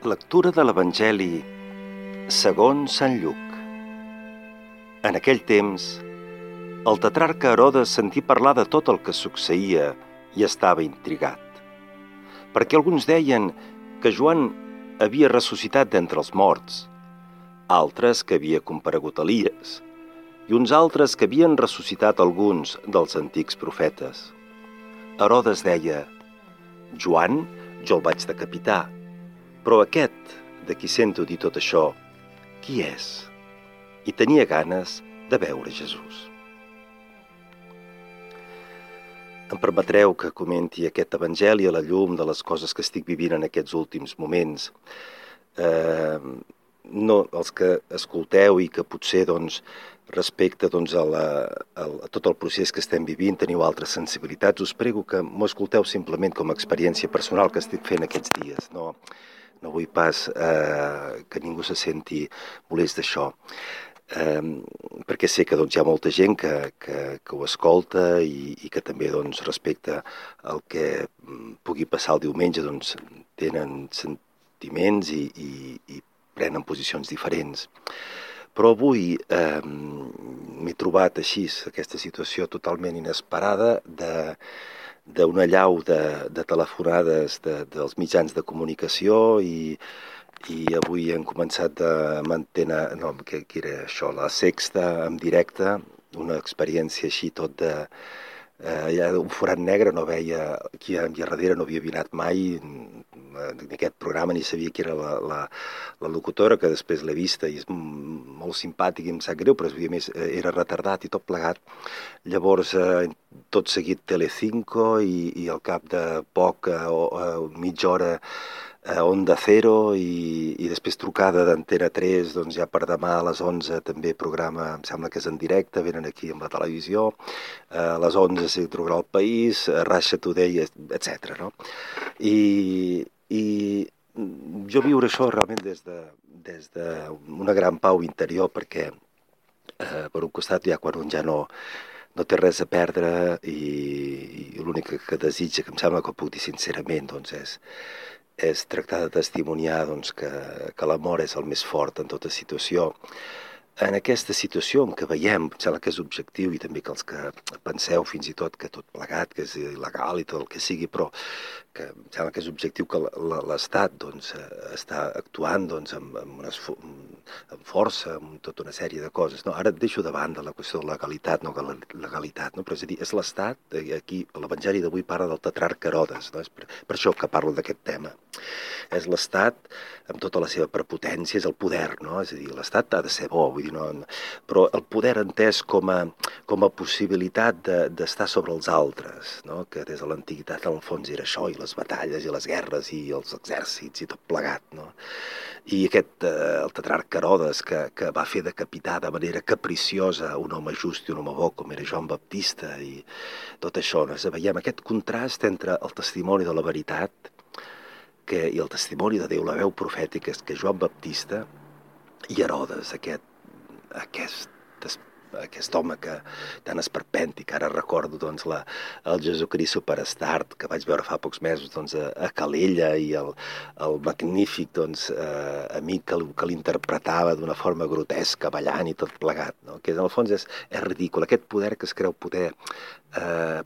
Lectura de l'Evangeli segons Sant Lluc. En aquell temps, el tetrarca Herodes sentí parlar de tot el que succeïa i estava intrigat, perquè alguns deien que Joan havia ressuscitat d'entre els morts, altres que havia comparegut Elies, i uns altres que havien ressuscitat alguns dels antics profetes. Herodes deia: Joan, jo el vaig decapitar, però aquest, de qui sento dir tot això, qui és? I tenia ganes de veure Jesús. Em permetreu que comenti aquest evangeli a la llum de les coses que estic vivint en aquests últims moments. No, els que escolteu i que potser respecte a tot el procés que estem vivint teniu altres sensibilitats, us prego que m'ho escolteu simplement com a experiència personal que estic fent aquests dies. No vull pas que ningú se senti molest d'això, perquè sé que hi ha molta gent que ho escolta i que també respecte al que pugui passar el diumenge tenen sentiments i prenen posicions diferents. Però avui m'he trobat així, aquesta situació totalment inesperada d'una allau de telefonades dels mitjans de comunicació i avui hem començat amb Antena, que era això, La Sexta, en directe, una experiència així tot un forat negre, no veia qui hi havia darrere, no havia anat mai en aquest programa, ni sabia qui era la locutora, que després l'he vista i és molt simpàtic i em sap greu, però a més era retardat i tot plegat. Llavors, tot seguit Telecinco i al cap de poc, mitja hora, Onda Cero i després trucada d'Antena 3, ja per demà a les 11 també programa, em sembla que és en directe, venen aquí amb la televisió, a les 11 s'hi trucarà El País, Russia Today, etc. No? I jo viure això realment des d'una gran pau interior, perquè per un costat ja quan un ja no té res a perdre i l'únic que desitja, que em sembla que ho puc dir sincerament, és tractar de testimoniar que l'amor és el més fort en tota situació. En aquesta situació en què veiem, em sembla que és objectiu i també que els que penseu fins i tot que tot plegat, que és il·legal i tot el que sigui, però que em sembla que és objectiu que l'Estat està actuant amb força, amb tota una sèrie de coses. No? Ara et deixo de banda la qüestió de legalitat, legalitat, no? Però és a dir, és l'Estat, aquí l'Evangeli d'avui parla del tetrarca Herodes, no? És per això que parlo d'aquest tema. És l'Estat amb tota la seva prepotència, és el poder, no? És a dir, l'Estat ha de ser bo, vull dir, però el poder entès com a possibilitat d'estar sobre els altres, no? Que des de l'antiguitat en el fons era això, i les batalles i les guerres i els exèrcits i tot plegat, no? I el tetrarca Herodes que va fer decapitar de manera capriciosa un home just i un home bo com era Joan Baptista i tot això, no? Veiem aquest contrast entre el testimoni de la veritat i el testimoni de Déu, la veu profètica, que Joan Baptista i Herodes, aquest home que tan esperpèntic, ara recordo el Jesucrist Superstar que vaig veure fa pocs mesos a Calella i el magnífic amic que l'interpretava d'una forma grotesca, ballant i tot plegat, no? Que en el fons és ridícul, aquest poder que es creu poder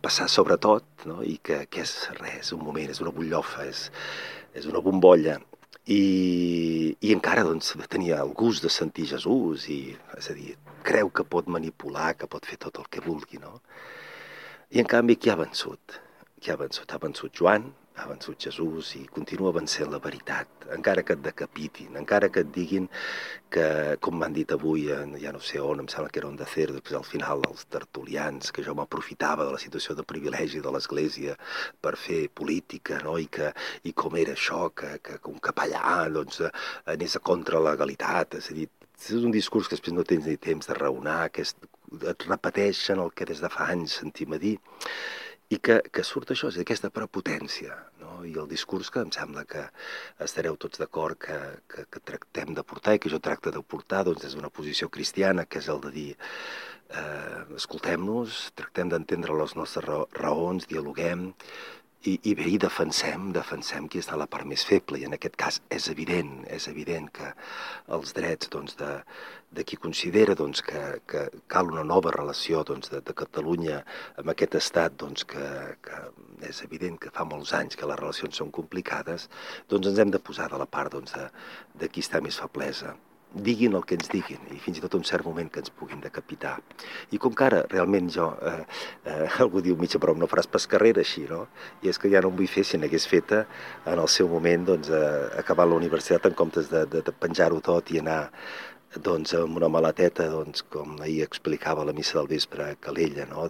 passar sobre tot, no? I que és res, és un moment, és una butllofa, és una bombolla. I encara tenia el gust de sentir Jesús és a dir, creu que pot manipular, que pot fer tot el que vulgui, no? I en canvi qui ha vençut? Qui ha vençut? Ha vençut Joan, ha vençut Jesús i continua vencent la veritat, encara que et decapitin, encara que et diguin que, com m'han dit avui, ja no sé on, em sembla que era Onda Cero, després al final els tertulians, que jo m'aprofitava de la situació de privilegi de l'Església per fer política, no? I com era això, que un capellà anés a contra la legalitat, és a dir, és un discurs que després no tens ni temps de raonar, que et repeteixen el que des de fa anys sentim a dir, i que surt això, és aquesta prepotència, no? I el discurs que em sembla que estareu tots d'acord que tractem de portar i que jo tracto de portar des d'una posició cristiana, que és el de dir escoltem-nos, tractem d'entendre les nostres raons, dialoguem I bé, defensem qui està a la part més feble, i en aquest cas és evident que els drets de qui considera que cal una nova relació de Catalunya amb aquest estat, que és evident que fa molts anys que les relacions són complicades, ens hem de posar de la part de qui està més feblesa. Diguin el que ens diguin, i fins i tot un cert moment que ens puguin decapitar. I com que ara realment algú diu mitja broma, no faràs pas carrera així, no? I és que ja no em vull fer si n'hagués feta en el seu moment, acabar la universitat en comptes de penjar-ho tot i anar amb una maleteta, com ahir explicava la missa del vespre a Calella, no?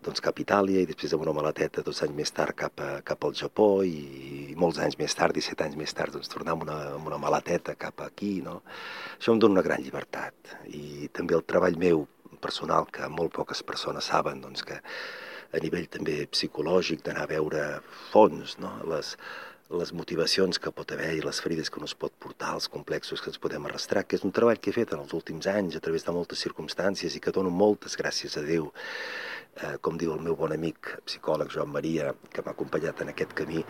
Cap a Itàlia, i després amb una maleteta 2 anys més tard cap al Japó, i molts anys més tard, 17 anys més tard, tornar amb una maleteta cap aquí, no? Això em dona una gran llibertat. I també el treball meu personal, que molt poques persones saben, que a nivell també psicològic, d'anar a veure fons, no? Les motivacions que pot haver i les ferides que no es pot portar, els complexos que ens podem arrastrar, que és un treball que he fet en els últims anys a través de moltes circumstàncies i que dono moltes gràcies a Déu, com diu el meu bon amic psicòleg Joan Maria, que m'ha acompanyat en aquest camí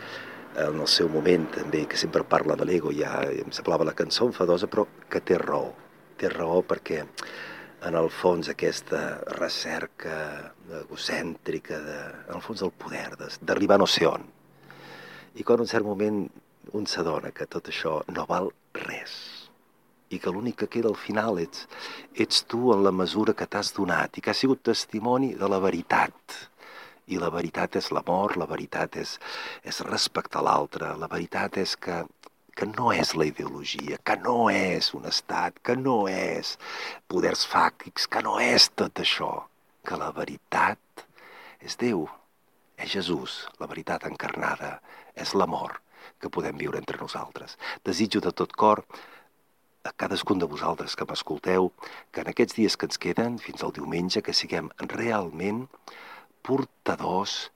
en el seu moment també, que sempre parla de l'ego, ja em semblava la cançó enfadosa, però que té raó perquè en el fons aquesta recerca egocèntrica en el fons del poder, d'arribar no sé on. I quan en un cert moment un s'adona que tot això no val res i que l'únic que queda al final ets tu en la mesura que t'has donat i que has sigut testimoni de la veritat. I la veritat és l'amor, la veritat és respectar l'altre, la veritat és que no és la ideologia, que no és un estat, que no és poders fàctics, que no és tot això, que la veritat és Déu. És Jesús, la veritat encarnada, és l'amor que podem viure entre nosaltres. Desitjo de tot cor a cadascun de vosaltres que m'escolteu que en aquests dies que ens queden, fins al diumenge, que siguem realment portadors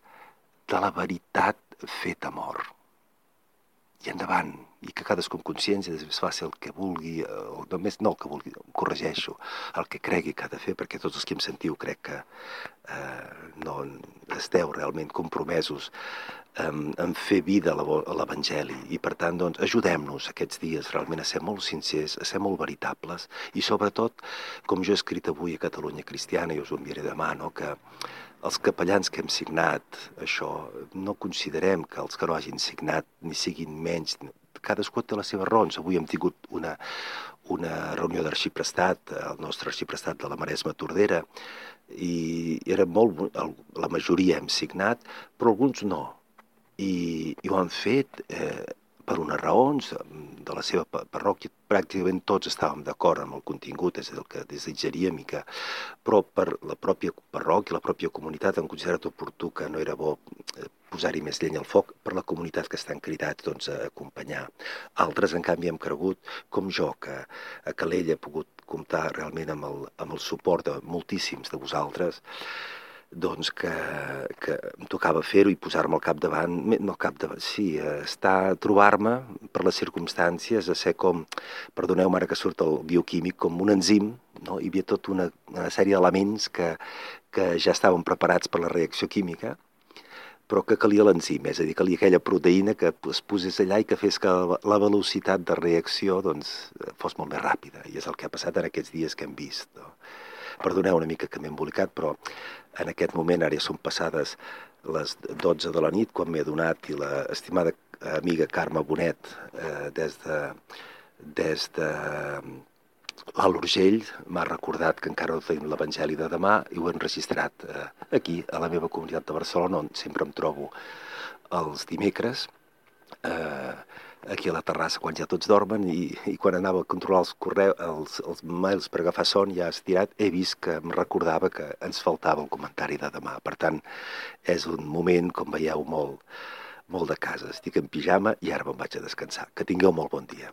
de la veritat feta amor. I endavant, i que cadascun consciència després faci el que vulgui, o només no el que vulgui, corregeixo, el que cregui que ha de fer, perquè tots els que em sentiu crec que no esteu realment compromesos en fer vida a l'Evangeli, i per tant ajudem-nos aquests dies realment a ser molt sincers, a ser molt veritables, i sobretot, com jo he escrit avui a Catalunya Cristiana, i us ho enviaré demà, no? Que els capellans que hem signat això, no considerem que els que no hagin signat ni siguin menys, cadascú té les seves raons. Avui hem tingut una reunió d'arxiprestat, el nostre arxiprestat de la Maresma Tordera, i era la majoria hem signat, però alguns no. I ho han fet per unes raons de la seva parròquia. Pràcticament tots estàvem d'acord amb el contingut, és el que desitjaríem, però per la pròpia parròquia, la pròpia comunitat, han considerat oportú que no era bo posar-hi més llenya al foc per la comunitat que estan cridats a acompanyar. Altres, en canvi, hem cregut, com jo, que a Calella he pogut comptar realment amb el suport de moltíssims de vosaltres, que em tocava fer-ho i posar-me al capdavant, trobar-me per les circumstàncies, a ser com, perdoneu-me ara que surt el bioquímic, com un enzim, no? Hi havia tota una sèrie d'elements que ja estaven preparats per la reacció química, però que calia l'enzim, és a dir, calia aquella proteïna que es posés allà i que fes que la velocitat de reacció fos molt més ràpida, i és el que ha passat en aquests dies que hem vist, no? Perdoneu una mica que m'he embolicat, però en aquest moment, ara ja són passades les 12 de la nit, quan m'he adonat, i l'estimada amiga Carme Bonet, des de l'Alt Urgell, m'ha recordat que encara no tenim l'Evangeli de demà, i ho he enregistrat aquí, a la meva comunitat de Barcelona, on sempre em trobo els dimecres, aquí a la terrassa quan ja tots dormen, i quan anava a controlar els mails per agafar son ja estirat, he vist que em recordava que ens faltava el comentari de demà. Per tant, és un moment, com veieu, molt de casa. Estic en pijama i ara me'n vaig a descansar. Que tingueu molt bon dia.